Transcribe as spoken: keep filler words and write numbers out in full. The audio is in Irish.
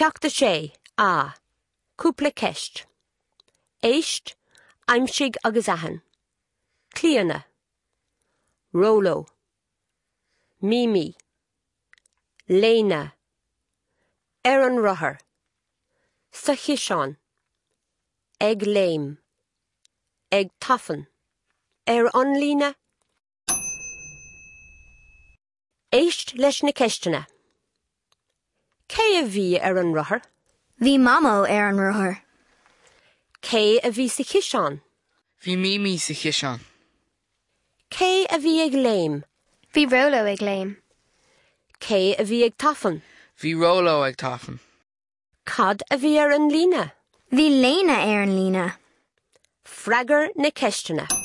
Ceacht a sé, A. Cúpla ceist. Éist, aimsigh agus aithin. Clíona. Róló. Mimi. Léna. Ar an rothar. Sa chiseán. Ag léim. Ag tafann. Ar an líne. Éist leis na ceisteanna. Cé a bhí ar an rothar? Bhí Mamó ar an rothar. Cé a bhí sa chiseán? Bhí Mimi sa chiseán. Cé a bhí ag léim? Bhí Róló ag léim. Cé a bhí ag tafann? Bhí Róló ag tafann. Cad a bhí ar an líne? Bhí Léna ar an líne. Freagair na ceisteanna.